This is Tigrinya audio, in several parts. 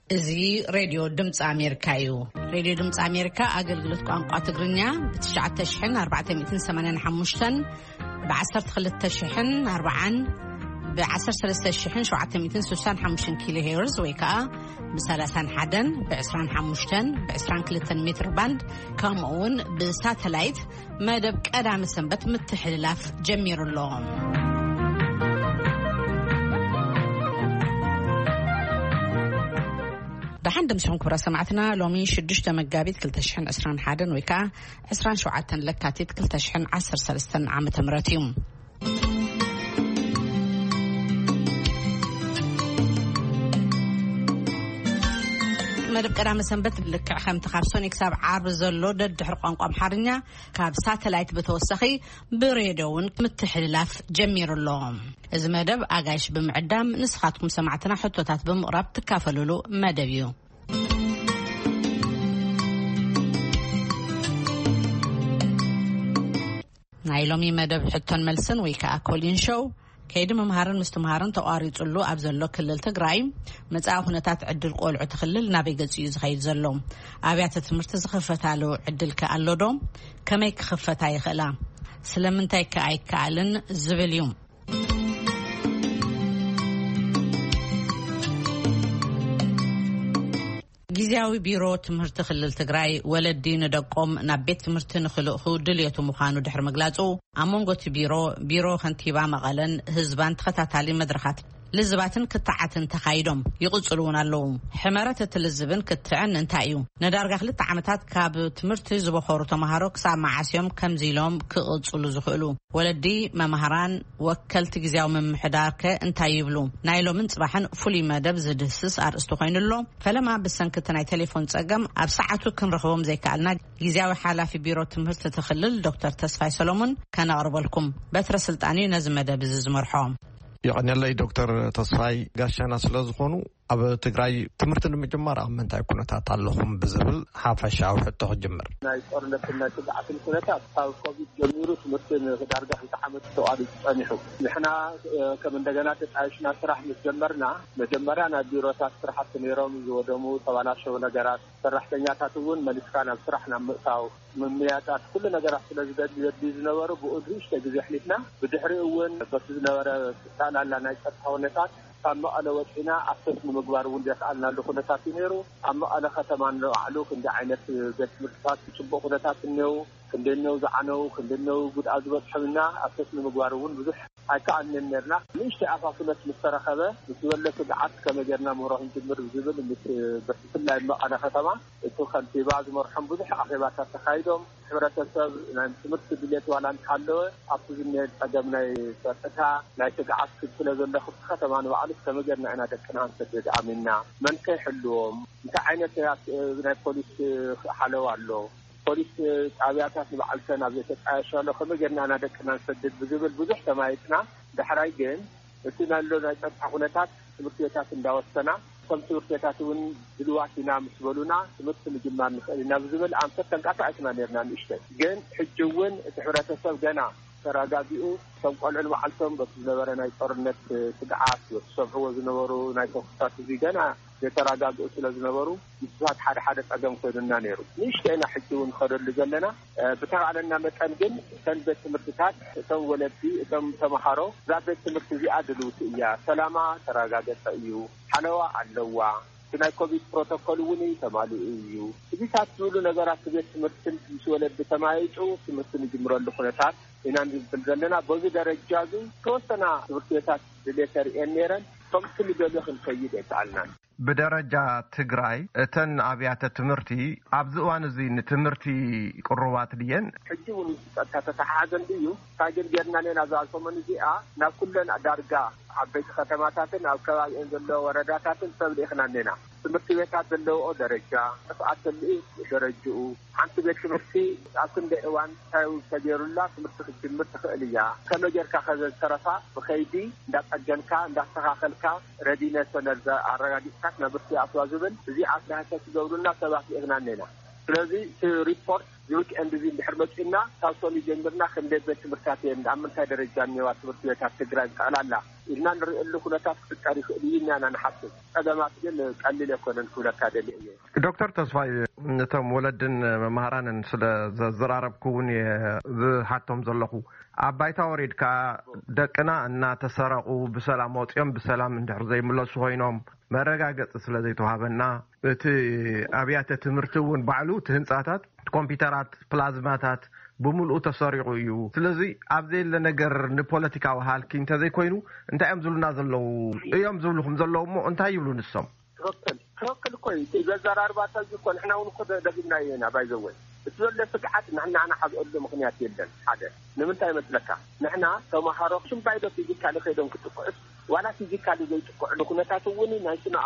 እዚ ሬድዮ ድምፂ ኣሜሪካ እዩ። ሬድዮ ድምፂ ኣሜሪካ ኣገልግሎት ቋንቋ ትግርኛ ብ ትሽዓተ ሽሕን ኣርባዕተ ሚእትን ሰማንያን ሓሙሽተን፣ ብ ዓሰርተ ክልተ ሽሕን ኣርባዓን፣ ብ ዓሰርተ ሰለስተ ሽሕን ሸውዓተ ሚእትን ስሳን ሓሙሽተን ኪሎ ሄርዝ ወይ ከዓ ብ ሰላሳን ሓደን፣ ብ ዕስራን ሓሙሽተን፣ ብ ዕስራን ክልተን ሜትር ባንድ፣ ከምኡ እውን ብሳተላይት መደብ ቀዳመ ሰንበት ምትሕልላፍ ጀሚሩ ኣሎ። ደሓን ደምሲኹም ክቡራት ሰማዕትና፣ ሎሚ ሽዱሽተ መጋቢት ክልተ ሽሕን ዕስራን ሓደን ወይ ከዓ ዕስራን ሸውዓተን ለካቲት ክልተ ሽሕን ዓሰርተ ሰለስተን ዓመተ ምህረት እዩ። መደብ ቀዳመ ሰንበት ልክዕ ከምቲ ካብ ሶኒ ክሳብ ዓርቢ ዘሎ ደድሕሪ ቋንቋ ኣምሓርኛ ካብ ሳተላይት ብተወሳኺ ብሬድዮ እውን ምትሕልላፍ ጀሚሩ ኣሎ። እዚ መደብ ኣጋይሽ ብምዕዳም ንስኻትኩም ሰማዕትና ሕቶታት ብምቕራብ ትካፈሉሉ መደብ እዩ። ናይ ሎሚ መደብ ሕቶን መልስን ወይ ከዓ ኮሊን ሾው ከይዲ ምምሃርን ምስትምሃርን ተቋሪፅሉ ኣብ ዘሎ ክልል ትግራይ መፃኢ ኩነታት ዕድል ቆልዑ እቲ ክልል ናበይ ገፂ እዩ ዝኸይድ ዘሎ? ኣብያተ ትምህርቲ ዝኽፈታሉ ዕድል ከ ኣሎ ዶ? ከመይ ክኽፈታ ይኽእላ? ስለምንታይ ከ ኣይከኣልን ዝብል እዩ። ግዝያዊ ቢሮ ትምህርቲ ክልል ትግራይ ወለዲ ንደቆም ናብ ቤት ትምህርቲ ንክልእኹ ድልየቱ ምዃኑ ድሕሪ ምግላጹ፣ ኣብ መንጎ እቲ ቢሮ፣ ቢሮ ከንቲባ መቐለን ህዝባን ተኸታታሊ መድረኻት ልዝባትን ክትዓትን ተኻይዶም ይቕጽሉ እውን ኣለዉ። ሕመረት እቲ ልዝብን ክትዕን እንታይ እዩ? ንዳርጋ ክልተ ዓመታት ካብ ትምህርቲ ዝበኾሩ ተምሃሮ ክሳብ መዓስ እዮም ከምዚ ኢሎም ክቕጽሉ ዝኽእሉ? ወለዲ፣ መማህራን፣ ወከልቲ ግዝያዊ ምምሕዳር ከ እንታይ ይብሉ? ናይ ሎምን ጽባሕን ፍሉይ መደብ ዝድህስስ ኣርእስቲ ኮይኑ ኣሎ። ፈለማ ብሰንኪ እቲ ናይ ቴሌፎን ጸገም ኣብ ሰዓቱ ክንረኽቦም ዘይከኣልና፣ ግዝያዊ ሓላፊ ቢሮ ትምህርቲ እቲ ክልል ዶክተር ተስፋይ ሰሎሙን ከነቕርበልኩም። በትረ ስልጣን እዩ ነዚ መደብ እዚ ዝመርሖ። የቐንየለይ ዶክተር ተስፋይ፣ ጋሻና ስለ ዝኾኑ፣ ኣብ ትግራይ ትምህርቲ ንምጅማር ኣብ ምንታይ ኩነታት ኣለኹም ብዝብል ሓፈሻዊ ሕቶ ክጅምር። ናይ ጦርነትን ናይ ስግኣትን ኩነታት ካብ ኮቪድ ጀሚሩ ትምህርቲ ንዳርጋ ክልተ ዓመት ተቋሪፁ ጸኒሑ። ንሕና፣ እ፣ ከም እንደገና ተጣይሽና ስራሕ ምስ ጀመርና፣ መጀመርያ ናይ ቢሮታት ስራሕቲ ነይሮም ዝወደሙ፣ ተባላሸው ነገራት፣ ሰራሕተኛታት እውን መሊስካ ናብ ስራሕ ናብ ምእታው፣ ምምያጣት፣ ኩሉ ነገራት ስለ ዝደሊ ዘድልዩ ዝነበሩ ብኡ ንእሽተይ ግዜ ኣሕሊፍና። ብድሕሪኡ እውን በቲ ዝነበረ ጠቕላላ ናይ ጸጥታ ኩነታት ካብ መቐለ ወጺና ኣክሰስ ንምግባር እውን ዘኽኣልናሉ ኩነታት እዩ ነይሩ። ኣብ መቐለ ከተማ ንባዕሉ ክንዲ ዓይነት ቤት ትምህርትታት ጽቡቕ ኩነታት እኒአው፣ ክንደየነው ዝዓነው፣ ክንደየነው ጉድኣት ዝበጽሖም እና ኣክሰስ ንምግባር እውን ብዙሕ ኣይከኣልንን ነርና። ንእሽተይ ኣፋፍነት ምስ ተረኸበ፣ ምስ ዝበለ ስግዓት ከመይ ጌርና ምህሮ ክንጅምር ዝብል ምስ፣ ብፍላይ መቐለ ከተማ እቲ ከንቲባ ዝመርሖም ብዙሕ ኣኼባታት ተኻይዶም። ሕብረተሰብ ናይ ትምህርቲ ድሌት ዋላ እንተሃለወ፣ ኣብቲ ዝኒሀ ጸገም ናይ ጸጥታ፣ ናይ ስግዓት ስለ ዘሎ፣ ክፍቲ ከተማ ንባዕሉ ከመይ ጌርና ኢና ደቅና ክንሰድድ ኣሚንና? መን ከ ይሕልዎም? እንታይ ዓይነት ናይ ፖሊስ ሓለዋ ኣሎ? ፖሊስ ጣብያታት ንባዕልተን ኣብ ዘይተጣየሻሉ ከመይ ጌርና ኢና ደቅና ንሰድድ ብዝብል ብዙሕ ተማይጥና። ዳሕራይ ግን እቲ ናሎ ናይ ጸጥታ ኩነታት ትምህርቲ ቤታት እንዳወሰና፣ እቶም ትምህርቲ ቤታት እውን ድልዋት ኢና ምስ በሉና ትምህርቲ ምጅማር ንኽእል ኢና ብዝብል ኣንፈት ተንቀሳቒስና ነርና ንእሽተይ። ግን ሕጂ እውን እቲ ሕብረተሰብ ገና ተረጋጊኡ፣ እቶም ቆልዑ ንባዕልቶም በቲ ዝነበረ ናይ ጦርነት ስግዓት፣ በቲ ዝሰምዕዎ ዝነበሩ ናይ ተኩስታት እዚ ገና ዘይተረጋግኡ ስለ ዝነበሩ፣ ምስታት ሓደ ሓደ ጸገም ኮይኑና ነይሩ። ንእሽተይ ኢና ሕጂ እውን ንኸደሉ ዘለና። እ፣ ብተኻእለና መጠን ግን እተን ቤት ትምህርትታት፣ እቶም ወለዲ፣ እቶም ተምሃሮ፣ እዛ ቤት ትምህርቲ እዚኣ ድልውቲ እያ፣ ሰላማ ተረጋገጸ እዩ፣ ሓለዋ ኣለዋ፣ እቲ ናይ ኮቪድ ፕሮቶኮል እውን ተማሊኡ እዩ፣ እዚታት ዝብሉ ነገራት ቤት ትምህርትን ምስ ወለዲ ተማይጡ ትምህርቲ ንጅምረሉ ኩነታት ኢና ንብል ዘለና። በዚ ደረጃ እዚ ተወሰና ትምህርቲ ቤታት ድሌት ተርእየን ነይረን። ከምቲ ንደልዮ ክንከይድ ኣይከኣልናን። ብደረጃ ትግራይ እተን ኣብያተ ትምህርቲ ኣብዚ እዋን እዚ ንትምህርቲ ቅሩባት ድየን? ሕጂ እውን ምስ ጸጥታ ተተሓሓዘ እንድዩ። እንታይ ግን ጌርና ኔና እዛ ሰሙን እዚኣ ናብ ኩለን ዳርጋ ዓበይቲ ከተማታትን ኣብ ከባቢአን ዘሎ ወረዳታትን ሰብ ልኢኽና ኔና። ትምህርቲ ቤታት ዘለውኦ ደረጃ፣ ጥፍኣት ተልኢ ደረጅኡ፣ ሓንቲ ቤት ትምህርቲ ኣብ ክንደይ እዋን እንታይ ተገይሩላ ትምህርቲ ክትጅምር ትኽእል እያ? ከመይ ጌርካ ከ ዘዝተረፋ ብኸይዲ እንዳጸገንካ እንዳስተኻኸልካ ረዲነተን ኣረጋጊጽካ ትምህርቲ ኣትዋ ዝብል እዚ ኣስላህተ ትገብሩልና ሰባት ልኢኽና ኔና። ስለዚ እቲ ሪፖርት እዚ ዊክኤንድ እዚ እንድሕር መጺኡና ካብ ሶኒ ጀሚርና ክንደይ ቤት ትምህርታት እየን ኣብ ምንታይ ደረጃ እኒዋ ትምህርቲ ቤታት ትግራይ ብጠቕላላ ኢልና ንርእየሉ ኩነታት ክፍጠር ይኽእል እዩ ኢና ንሓስብ። ጸገማት ግን ቀሊል ኣይኮነን ክብለካ ደልየ እየ። ዶክተር ተስፋይ፣ ነቶም ወለድን መምሃራንን ስለ ዘዘራረብኩ እውን እየ ዝሓቶም ዘለኹ። ኣብ ባይታ ወሪድካ፣ ደቅና እናተሰረቑ ብሰላም ወፂኦም ብሰላም እንድሕር ዘይምለሱ ኮይኖም፣ መረጋገፂ ስለ ዘይተዋሃበና፣ እቲ ኣብያተ ትምህርቲ እውን ባዕሉ፣ እቲ ህንፃታት፣ ኮምፒውተራት፣ ፕላዝማታት ብምልኡ ተሰሪቑ እዩ። ስለዚ ኣብ ዘየለ ነገር ንፖለቲካዊ ሃልኪ እንተዘይኮይኑ፣ እንታይ እዮም ዝብሉና ዘለዉ? እዮም ዝብልኹም ዘለዉ እሞ እንታይ ይብሉ ንሶም? ትኽክል፣ ትኽክል እኮ እዩ። እቲ ዘዘራርባ ሰብ እኮ ንሕና እውን እኮ ደ-፣ ደጊምናዮ ኢና። ባይዘወይ፣ እቲ ዘሎ ስግዓት ንሕና ንሓዝኣሉ ምኽንያት የለን። ሓደ፣ ንምንታይ መስለካ? ንሕና ተምሃሮ ሽምባይዶ ፊዚካሊ ከይዶም ክጥቅዑስ፣ ዋላ ፊዚካሊ ዘይጥቅዕሉ ኩነታት እውን ናይ ስነ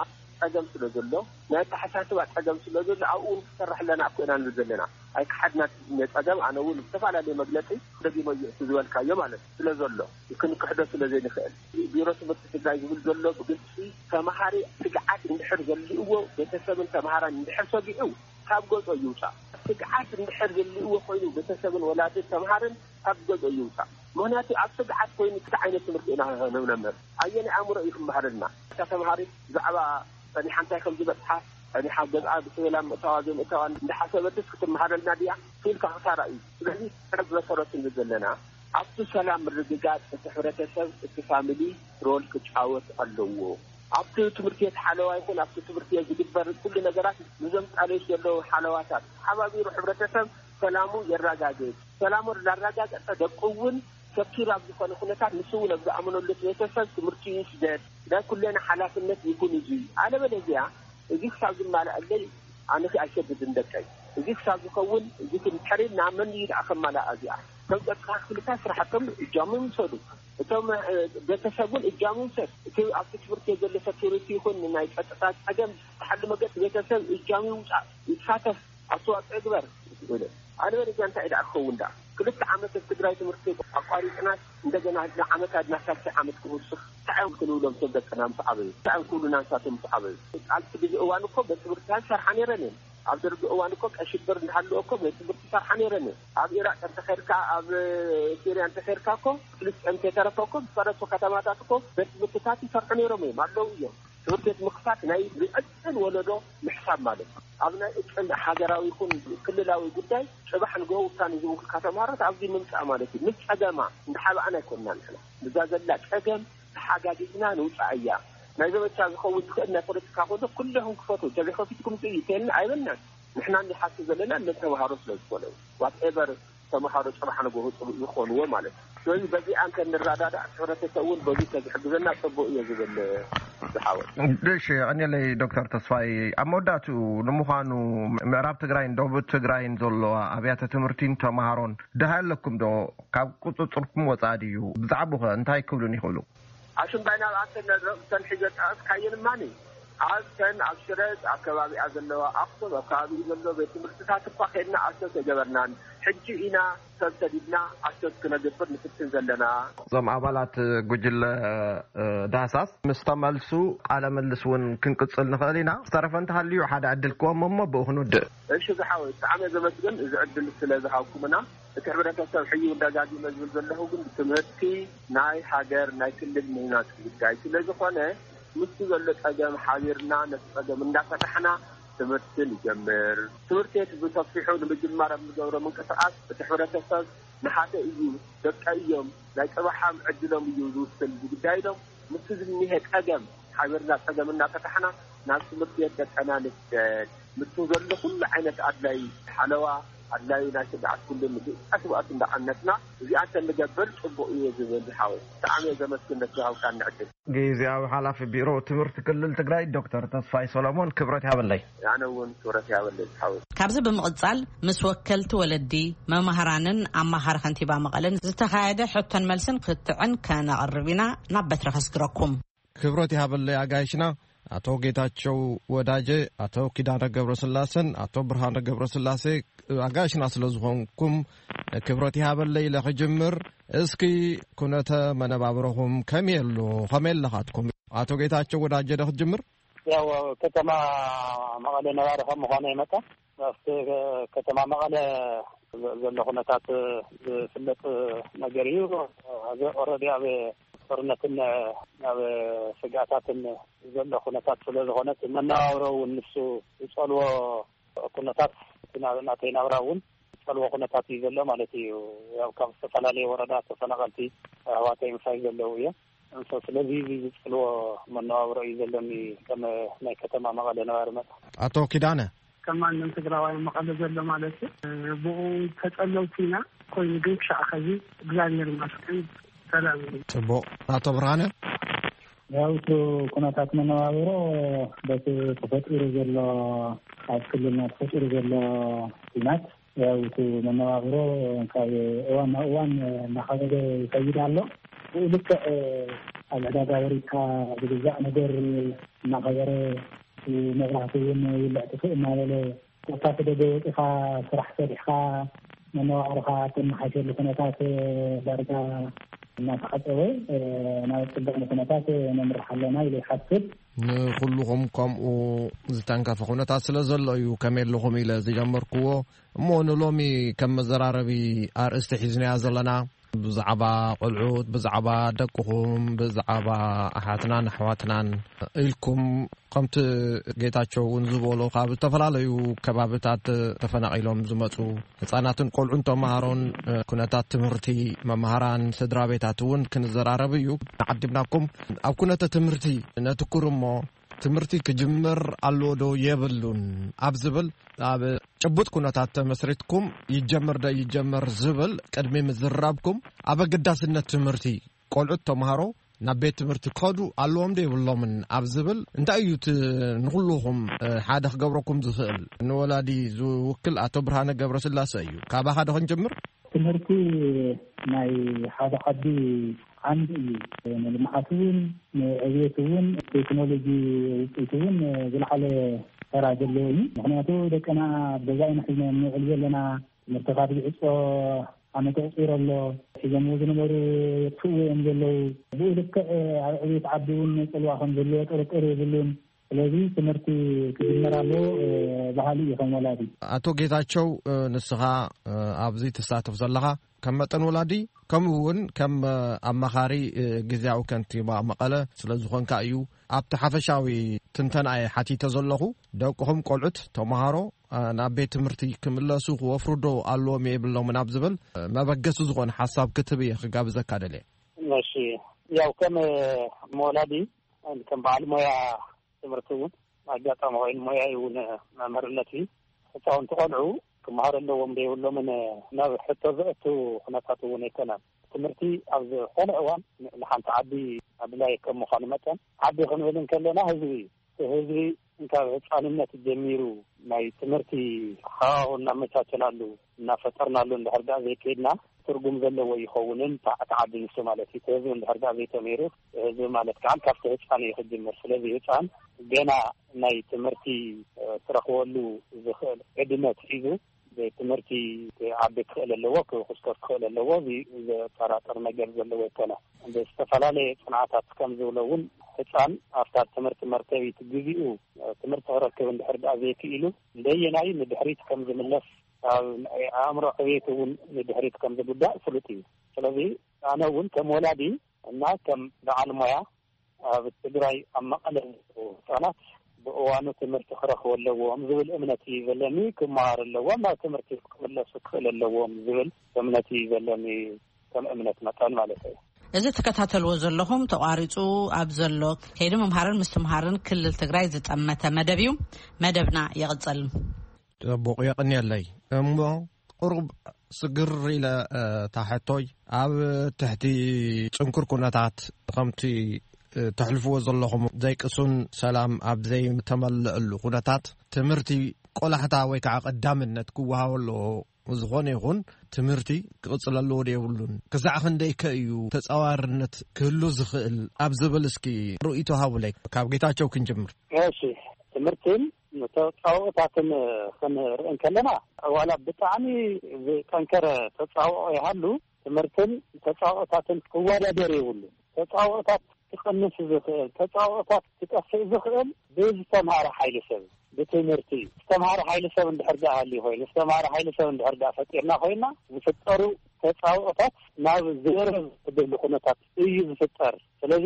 ጸገም ስለ ዘሎ፣ ናይ ኣተሓሳስባ ጸገም ስለ ዘሎ፣ ኣብኡ እውን ክሰርሕ ኣለና እኮ ኢና ንብል ዘለና። ኣይከሓድና እቲ ጸገም። ኣነ እውን ዝተፈላለየ መግለጺ ደጊመ እዩ እቲ ዝበልካዮ ማለት ስለ ዘሎ፣ ክንክሕዶ ስለ ዘይንኽእል። ቢሮ ትምህርቲ ትግራይ ዝብል ዘሎ ብግልፂ፣ ተምሃሪ ስግዓት እንድሕር ዘልእዎ፣ ቤተሰብን ተምሃራን እንድሕር ሰጊዑ፣ ካብ ገጾ ይውፃእ። ስግዓት እንድሕር ዘልእዎ ኮይኑ፣ ቤተሰብን ወላድን ተምሃርን ካብ ገጾ ይውፃእ። ምኽንያቱ ኣብ ስግዓት ኮይኑ እንታይ ዓይነት ትምህርቲ ኢና ነምነምር? ኣየናይ ኣእምሮ እዩ ክመሃረልና? እታ ተምሃሪት ብዛዕባ ጸኒሓ እንታይ ከም ዝበጽሓ፣ ጸኒሓ ገዝኣ ብሰላም ምእታዋ ዘይምእታዋ እንዳሓሰበትስ ክትመሃረልና ድያ? ኢልካ ክሳራ እዩ። ስለዚ፣ መሰረቱ ንብል ዘለና፣ ኣብቲ ሰላም ምርግጋጽ እቲ ሕብረተሰብ፣ እቲ ፋሚሊ ሮል ክጫወት ኣለዎ። ኣብቲ ትምህርቲ ቤት ሓለዋ ይኹን ኣብቲ ትምህርቲ ቤት ዝግበር ኩሉ ነገራት፣ ንዞም ቃልዮት ዘለዉ ሓለዋታት ሓባቢሩ ሕብረተሰብ ሰላሙ የረጋግጽ። ሰላሙ እንዳረጋገጸ፣ ደቁ እውን ሰኪር ኣብ ዝኾነ ኩነታት፣ ንሱ እውን ኣብ ዝኣመነሉ ቤተሰብ ትምህርቲ ይስደድ። ናይ ኩለና ሓላፍነት ይኹን እዚ። ኣለበለዚያ፣ እዚ ክሳብ ዝማልኣለይ ኣነ ኣይሰድድን ደቀይ። እዚ ክሳብ ዝኸውን፣ እዚ ክንድሕር ኢልና፣ መን እዩ ደኣ ከማልኣ እዚኣ? እቶም ጸጥታ ክፍልታት ስራሕቶም እጃሞም ይውሰዱ። እቶም፣ እ፣ ቤተሰብ እውን እጃሙ ይውሰድ። እቲ ኣብቲ ትምህርቲ ዘሎ ሰኪሪቲ ይኹን ናይ ጸጥታ ጸገም ዝፍትሓሉ መገዲ ቤተሰብ እጃሙ ይውጻእ፣ ይሳተፍ፣ ኣስተዋጽኦ ይግበር። ኣነ በለዚያ እንታይ ደኣ ክኸውን ደኣ? ክልተ ዓመት ኣብ ትግራይ ትምህርቲ ኣቋሪጽናስ እንደገና ንዓመት ኣድና ሳልሳይ ዓመት ክውስኽ እንታይ እዮም ክንብሎም? ሰብ ደቅና ምስ ዓበዩ እንታይ እዮም ክብሉና ንሳቶም ምስ ዓበዩ? ኣብ ትግዚ እዋን እኮ ቤት ትምህርትታት ይሰርሓ ነይረን እየን። ኣብ ደርጊ እዋን እኮ ቀይ ሽብር እንዳሃለወ እኮ ቤት ትምህርቲ ይሰርሓ ነይረን እየን። ኣብ ኢራቅ እንተኸድካ፣ ኣብ ሲርያ እንተኸድካ እኮ፣ ፍልስጤም እንተተረፈ እኮ፣ ዝፈረሱ ከተማታት እኮ ቤት ትምህርትታት ይሰርሑ ነይሮም እዮም፣ ኣለዉ እዮም። ትምህርቲ ቤት ምኽፋት ናይ ዝዕጥን ወለዶ ምሕሳብ ማለት እዩ። ኣብ ናይ እቅን ሃገራዊ ይኹን ክልላዊ ጉዳይ ጽባሕ ንግሆ ውሳኔ ዝህቡልካ ተምሃሮት ኣብዚ ምምጻእ ማለት እዩ። ምስ ጸገማ እንዳሓባእና ኣይኮንና ንሕና። ብዛ ዘላ ጸገም ተሓጋጊዝና ንውጻእ እያ። ናይ ዘመቻ ዝኸውን ዝኽእል ናይ ፖለቲካ ኮንዶ ኩለኹም ክፈቱ፣ እንተዘይከፊትኩም ምጽእ እዩ ተልና ኣይበልናን። ንሕና ንሓስብ ዘለና ነተምሃሮ ስለ ዝኾነ እዩ። ዋትኤቨር ተምሃሮ ጽባሕ ንግሆ ጽቡቅ ይኾንዎ ማለት እዩ። ስለዚ በዚኣ እንተ ንረዳዳእ፣ ሕብረተሰብ እውን በዚ ተዝሕግዘና ጽቡቅ እየ ዝብል ዝሓወት። እሺ፣ ቀኒለይ ዶክተር ተስፋይ። ኣብ መወዳእትኡ፣ ንምዃኑ ምዕራብ ትግራይን ደቡብ ትግራይን ዘለዋ ኣብያተ ትምህርቲን ተምሃሮን ድሃይ ኣለኩም ዶ? ካብ ቁጽጽርኩም ወጻኢ ድዩ? ብዛዕባኡ ኸ እንታይ ክብሉን ይኽእሉ? ኣሽምባይና ኣብ ኣተን ነዘን ሒዘ ጠቐስካየን እማኒ፣ ኣብተን ኣብ ሽረ ኣብ ከባቢኣ ዘለዋ ኣኽሱም ኣብ ከባቢኡ ዘሎ ቤት ትምህርትታት እኳ ከድና ኣሰስ ኣይገበርናን። ሕጂ ኢና ሰብ ሰዲድና ኣሰስ ክነግብር ንፍትን ዘለና። እዞም ኣባላት ጉጅለ፣ እ፣ ዳህሳስ ምስ ተመልሱ ቃለ ምልስ እውን ክንቅጽል ንኽእል ኢና። ዝተረፈ እንተሃልዩ ሓደ ዕድል ክወም እሞ ብኡ ክንውድእ። እሺ ዝሓወይ፣ ብጣዕሚ እየ ዘመስግን እዚ ዕድል ስለ ዝሃብኩምና። እቲ ሕብረተሰብ ሕዩ ደጋጊመ ዝብል ዘለኹ ግን ትምህርቲ ናይ ሃገር ናይ ክልል ምህናጽ ጉዳይ ስለ ዝኾነ፣ ምስቲ ዘሎ ጸገም ሓቢርና ነቲ ጸገም እንዳፈታሕና ትምህርቲ ንጀምር። ትምህርቲ ቤት ብሰፊሑ ንምጅማር ኣብ ንገብሮ ምንቅስቓስ እቲ ሕብረተሰብ ንሓተ እዩ፣ ደቀ እዮም፣ ናይ ጽባሓም ዕድሎም እዩ ዝውስን ዝግዳይ ኢሎም ምስቲ ዝኒሀ ጸገም ሓቢርና ጸገም እናፈታሕና ናብ ትምህርቲ ቤት ደቀና ንስደድ። ምስቲ ዘሎ ኩሉ ዓይነት ኣድላይ ሓለዋ ኣድላዩ ናይ ስግዓት ኩሉ ንግልጋሎት እንዳዓነትና እዚኣን ተንገብር ጽቡቕ እዩ ዝብል ዝሓወይ። ብጣዕሚ እየ ዘመስግን ነቲ ዝሃብካኒ ዕድል። ግዜያዊ ሓላፊ ቢሮ ትምህርቲ ክልል ትግራይ ዶክተር ተስፋይ ሰሎሞን ክብረት ይሃበለይ። ኣነ እውን ክብረት ይሃበለይ ዝሓወይ። ካብዚ ብምቕጻል ምስ ወከልቲ ወለዲ፣ መማህራንን ኣማኻሪ ከንቲባ መቐለን ዝተኻየደ ሕቶን መልስን ክትዕን ከነቕርብ ኢና። ናብ በትሪ ከስግረኩም። ክብረት ይሃበለይ ኣጋይሽና ኣቶ ጌታቸው ወዳጀ፣ ኣቶ ኪዳነ ገብረስላሰን ኣቶ ብርሃነ ገብረስላሴ ኣጋይሽና ስለ ዝኾንኩም ክብረት ይሃበለይ ኢለ ክጅምር። እስኪ ኩነተ መነባብሮኹም ከመይ ኣሎ? ከመይ ኣለኻትኩም? ኣቶ ጌታቸው ወዳጀ ዶ ክትጅምር? ያው ከተማ መቐለ ነባሪ ከም ምዃነይ መጠን ኣብቲ ከተማ መቐለ ዘሎ ኩነታት ዝፍለጥ ነገር እዩ። ኦልሬዲ ኣብ ጦርነትን ናብ ስግኣታትን ዘሎ ኩነታት ስለ ዝኾነ፣ እቲ መነባብሮ እውን ንሱ ዝጸልዎ ኩነታት፣ እቲ ናብ-፣ ናተይ ናብራ እውን ዝጸልዎ ኩነታት እዩ ዘሎ ማለት እዩ። ያው ካብ ዝተፈላለየ ወረዳ ተፈናቐልቲ ኣሕዋተይ ምሳይ ዘለዉ እዮም። እንሶ ስለዚ እዚ ዝጸልዎ መነባብሮ እዩ ዘለኒ ከም ናይ ከተማ መቐለ ነባሪ መጠን። ኣቶ ኪዳነ። ከም ማንም ትግራዋይ መቐለ ዘሎ ማለት እዩ። ብኡ ተጸለውቲ ኢና። ኮይኑ ግን ክሻዕ ኸዚ እግዚኣብሔር ይመስገን ሰላም እዩ። ጽቡቕ። ኣቶ ብርሃነ። ያው እቲ ኩነታት መነባብሮ በቲ ተፈጢሩ ዘሎ፣ ኣብ ክልልና ተፈጢሩ ዘሎ ኲናት፣ ያው እቲ መነባብሮ ካብ እዋን ናብ እዋን እናኸበደ ይኸይድ ኣሎ። ብኡ ልክዕ ኣብ ዕዳጋ ወሪድካ ዝግዛእ ነገር እናኸበረ፣ መብራህቲ እውን ይውልዕ ጥፍእ እናበለ፣ ኮታ ደገ ወፂኻ ስራሕ ሰሪሕካ መነባብሮኻ እተመሓይሸሉ ኩነታት ዳርጋ እናተዓፀወ፣ ናብ ፅገም ኩነታት ነምርሕ ኣለና ኢለ ይሓስብ። ንኹልኹም ከምኡ ዝተንከፈ ኩነታት ስለ ዘሎ እዩ ከመይ ኣለኹም ኢለ ዝጀመርክዎ። እሞ ንሎሚ ከም መዘራረቢ ኣርእስቲ ሒዝናያ ዘለና ብዛዕባ ቆልዑት፣ ብዛዕባ ደቅኹም፣ ብዛዕባ ኣሓትናን ኣሕዋትናን ኢልኩም ከምቲ ጌታቸው እውን ዝበሎ ካብ ዝተፈላለዩ ከባብታት ተፈናቒሎም ዝመፁ ህፃናትን ቆልዑን ተምሃሮን ኩነታት ትምህርቲ መምሃራን ስድራ ቤታት እውን ክንዘራረብ እዩ ዓዲምናኩም። ኣብ ኩነተ ትምህርቲ ነትኩር እሞ ትምህርቲ ክጅምር ኣለዎ ዶ የብሉን ኣብ ዝብል ኣብ ጭቡጥ ኩነታት ተመስሪትኩም ይጀምር ዶ ይጀመር ዝብል ቅድሚ ምዝራብኩም ኣብ ኣገዳስነት ትምህርቲ ቆልዑት ተምሃሮ ናብ ቤት ትምህርቲ ክኸዱ ኣለዎም ዶ የብሎምን ኣብ ዝብል እንታይ እዩ እቲ ንኹልኹም ሓደ ክገብረኩም ዝኽእል ንወላዲ ዝውክል ኣቶ ብርሃነ ገብረስላሰ እዩ። ካባኻ ዶ ክንጅምር? ትምህርቲ ናይ ሓደ ዓዲ ዓንዲ እዩ። ንልምዓት እውን ንዕብየት እውን ቴክኖሎጂ ውፅኢት እውን ዝለዓለ ተራ ዘለዎ እዩ። ምክንያቱ ደቅና ኣብ ገዛ ኢና ሒዝና ንውዕል ዘለና። ትምህርቲ ካብ ዝዕፆ ዓመት ኣቑፂሩ ኣሎ። ሒዞምዎ ዝነበሩ የጥፍእዎ እዮም ዘለዉ። ብኡ ልክዕ ኣብ ዕብየት ዓዲ እውን ፅልዋ ከም ዘለዎ ጥርጥር የብሉን። ስለዚ ትምህርቲ ክጅመር ኣለዎ በሃሊ እዩ ከም ወላዲ። ኣቶ ጌታቸው፣ ንስኻ ኣብዚ ትሳተፍ ዘለኻ ከም መጠን ወላዲ ከምኡ እውን ከም ኣማኻሪ ግዝያዊ ከንቲባ መቐለ ስለ ዝኾንካ እዩ። ኣብቲ ሓፈሻዊ ትንተና እየ ሓቲተ ዘለኹ። ደቅኹም ቆልዑት ተምሃሮ ናብ ቤት ትምህርቲ ክምለሱ ክወፍሩ ዶ ኣለዎም የብሎምን ኣብ ዝብል መበገሲ ዝኾነ ሓሳብ ክትብ እየ ክጋብዘካ ደልየ። እሺ፣ ያው ከም ወላዲ፣ ከም በዓል ሞያ ትምህርቲ እውን ኣጋጣሚ ኮይኑ ሞያይ እውን መምህርነት እዩ። ህፃውንቲ ቆልዑ ክመሃሩ ኣለዎም ዶ የብሎምን ናብ ሕቶ ዘእቱ ኩነታት እውን ኣይኮነን። ትምህርቲ ኣብ ዝኾነ እዋን ንሓንቲ ዓዲ ኣድላይ ከም ምዃኑ መጠን ዓዲ ክንብል እንከለና ህዝቢ እዩ። ህዝቢ ካብ ህፃንነት ጀሚሩ ናይ ትምህርቲ ሃዋሁ እናመቻቸናሉ እናፈጠርናሉ እንድሕር ደኣ ዘይከይድና ትርጉም ዘለዎ ይኸውንን ተዓዓዲ ንሱ ማለት እዩ። እቲ ህዝቢ እንድሕር ደኣ ዘይተምሂሩ፣ ህዝቢ ማለት ከዓ ካብቲ ህፃን እዩ ክጅምር። ስለዚ ህፃን ገና ናይ ትምህርቲ ክረኽበሉ ዝኽእል ዕድመ ሒዙ ቤት ትምህርቲ ክዓቢ ክኽእል ኣለዎ፣ ክኹስኮስ ክኽእል ኣለዎ። እዚ ዘጠራጥር ነገር ዘለዎ ኣይኮነ። ብዝተፈላለየ ፅንዓታት ከም ዝብሎ እውን ህፃን ኣብታ ትምህርቲ መርከቢት ግዜኡ ትምህርቲ ክረክብ እንድሕር ደኣ ዘይክኢሉ እንደየናይ ንድሕሪት ከም ዝምለስ ኣብ ናይ ኣእምሮ ዕቤት እውን ንድሕሪት ከም ዝጉዳእ ፍሉጥ እዩ። ስለዚ ኣነ እውን ከም ወላዲ እና ከም በዓል ሞያ ኣብ ትግራይ ኣብ መቐለ ህፃናት ብእዋኑ ትምህርቲ ክረኽቡ ኣለዎም ዝብል እምነት እዩ ዘለኒ። ክመሃሩ ኣለዎም፣ ናብ ትምህርቲ ክምለሱ ክኽእል ኣለዎም ዝብል እምነት እዩ ዘለኒ፣ ከም እምነት መጠን ማለት እዩ። እዚ ትከታተልዎ ዘለኹም ተቋሪፁ ኣብ ዘሎ ከይዲ ምምሃርን ምስትምሃርን ክልል ትግራይ ዝጠመተ መደብ እዩ። መደብና ይቕፅል። ጽቡቕ የቕንየለይ። እሞ ቁሩብ ስግር ኢለ፣ እ፣ እታ ሕቶይ ኣብ ትሕቲ ጽንኩር ኩነታት ከምቲ፣ እ፣ ተሕልፍዎ ዘለኹም ዘይቅሱን ሰላም ኣብ ዘይተመልአሉ ኩነታት ትምህርቲ ቆላሕታ ወይ ከዓ ቀዳምነት ክወሃቦ ኣለዎ። ዝኾነ ይኹን ትምህርቲ ክቕጽል ኣለዎ ዶ የብሉን? ክሳዕ ክንደይ ከ እዩ ተጻዋርነት ክህሉ ዝኽእል ኣብ ዝብል እስኪ ርእይቶ ሃቡለይ። ካብ ጌታቸው ክንጅምር። እሺ፣ ትምህርትን ተጻብኦታትን ክንርኢ እንከለና፣ ዋላ ብጣዕሚ ዝጠንከረ ተጻብኦ ይሃሉ፣ ትምህርትን ተጻብኦታትን ክወዳደር የብሉን። ተጻብኦታት ክቐንስ ዝኽእል፣ ተጻብኦታት ክጠፍእ ዝኽእል ብዝተምሃረ ሓይሊ ሰብ፣ ብትምህርቲ። ዝተምሃረ ሓይሊ ሰብ እንድሕር ደኣ ሃልዩ ኮይኑ፣ ዝተምሃረ ሓይሊ ሰብ እንድሕር ደኣ ፈጢርና ኮይና፣ ዝፍጠሩ ተጻብኦታት ናብ ዝወረ ዝደሉ ኩነታት እዩ ዝፍጠር። ስለዚ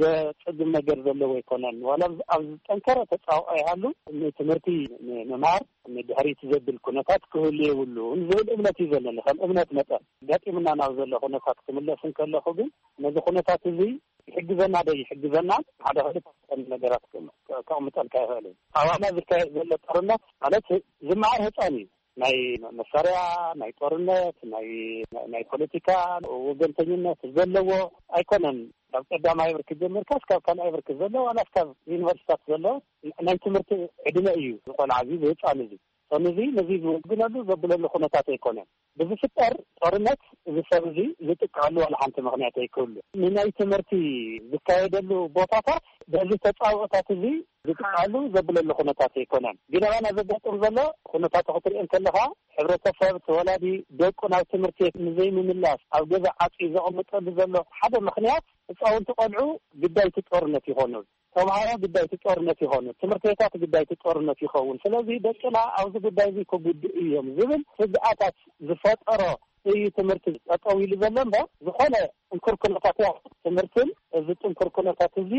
ዘጸግም ነገር ዘለዎ ኣይኮነን። ዋላ ኣብ ኣብ ዝጠንከረ ተጻብኦ ይሃሉ፣ ንትምህርቲ ንምምሃር ንድሕሪት ዘብል ኩነታት ክህሉ የብሉን ዝብል እምነት እዩ ዘለኒ። ከም እምነት መጠን ገጢምና ናብ ዘሎ ኩነታት ክምለስ እንከለኹ ግን ነዚ ኩነታት እዚ ይሕግዘና ዶ ይሕግዘና ሓደ ክልተ ነገራት ክም- ከቕምጠልካ ይኽእል እዩ። ኣባና ዝካየድ ዘሎ ጦርነት ማለት ዝመሃር ህፃን እዩ። ናይ መሳርያ፣ ናይ ጦርነት፣ ናይ ናይ ፖለቲካ ወገንተኝነት ዘለዎ ኣይኮነን። ካብ ቀዳማይ ብርኪ ጀሚርካ እስካብ ካልኣይ ብርኪ ዘሎ ዋላ እስካብ ዩኒቨርሲታት ዘሎ ናይ ትምህርቲ ዕድመ እዩ። ዝቆልዓ እዚ ዝህፃን እዚ ሰኑ እዚ ነዚ ዝውግነሉ ዘብለሉ ኩነታት ኣይኮነን። ብዝፍጠር ጦርነት እዚ ሰብ እዚ ዝጥቀዐሉ ዋላ ሓንቲ ምኽንያት ኣይክህሉ። ንናይ ትምህርቲ ዝካየደሉ ቦታታት በዚ ተጻብኦታት እዚ ዝጥቀዐሉ ዘብለሉ ኩነታት ኣይኮነን። ግን ኣባና ዘጋጥም ዘሎ ኩነታት ክትሪኦ እንከለኻ ሕብረተሰብ ተወላዲ ደቁ ናብ ትምህርቲ ንዘይምምላስ ኣብ ገዛ ዓፂ ዘቐምጠሉ ዘሎ ሓደ ምኽንያት ህፃውንቲ ቆልዑ ግዳይቲ ጦርነት ይኾኑ። ተምሃሮ ግዳይቲ ጦርነት ይኾኑ። ትምህርቲ ቤታት ግዳይቲ ጦርነት ይኸውን። ስለዚ ደቅና ኣብዚ ጉዳይ እዚ ክጉድኡ እዮም ዝብል ስግኣታት ዝፈጠሮ እዩ ትምህርቲ ጠጠው ኢሉ ዘሎ እምበር ዝኾነ ጥንኩር ኩነታት እያ። ትምህርትን እዚ ጥንኩር ኩነታት እዚ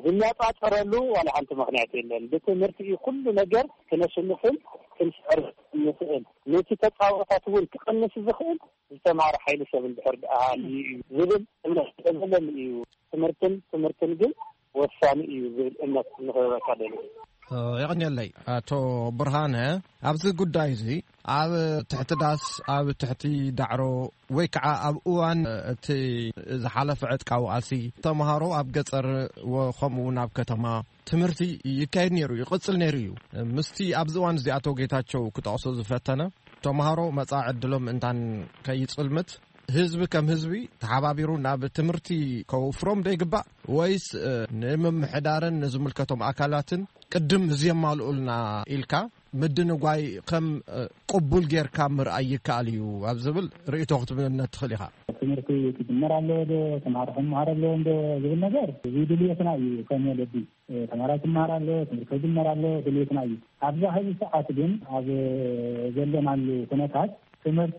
ዝነጻጸረሉ ዋላ ሓንቲ ምኽንያት የለን። ብትምህርቲ እዩ ኩሉ ነገር ክነሽንፍን ክንስዕር ንኽእል። ነቲ ተጻብኦታት እውን ክቐንስ ዝኽእል ዝተምሃረ ሓይሊ ሰብ እንድሕር ደኣ ሃልዩ እዩ ዝብል እምነት ስለ ዘለኒ እዩ። ትምህርትን ትምህርትን ግን ወሳኒ እዩ ዝብል እምነት ንኽህበካ ደሊ። የቐንየለይ ኣቶ ብርሃነ። ኣብዚ ጉዳይ እዚ ኣብ ትሕቲ ዳስ፣ ኣብ ትሕቲ ዳዕሮ ወይ ከዓ ኣብ እዋን እቲ ዝሓለፈ ዕጥቃዊ ቃልሲ ተምሃሮ ኣብ ገጠር ወ- ከምኡ እውን ኣብ ከተማ ትምህርቲ ይካየድ ነይሩ፣ ይቕጽል ነይሩ እዩ። ምስቲ ኣብዚ እዋን እዚ ኣቶ ጌታቸው ክጠቕሶ ዝፈተነ ተምሃሮ መጻኢ ዕድሎም እንታን ከይጽልምት ህዝቢ ከም ህዝቢ ተሓባቢሩ ናብ ትምህርቲ ከውፍሮም ዶ ይግባእ ወይስ እ፣ ንምምሕዳርን ንዝምልከቶም ኣካላትን ቅድም እዚ የማልኡልና ኢልካ ምድንጓይ ከም እ፣ ቅቡል ጌርካ ምርኣይ ይከኣል እዩ ኣብ ዝብል ርእይቶ ክትብለና ትኽእል ኢኻ? ትምህርቲ ክጅመር ኣለዎ ዶ፣ ተምሃሮ ክመሃር ኣለዎም ዶ ዝብል ነገር እዚ ድልየትና እዩ ከም ወለዲ። ተማራይ ክመሃር ኣሎ፣ ትምህርቲ ክጅመር ኣሎ፣ ድሌትና እዩ። ኣብዛ ሕዚ ሰዓት ግን ኣብ ዘለናሉ ኩነታት ትምህርቲ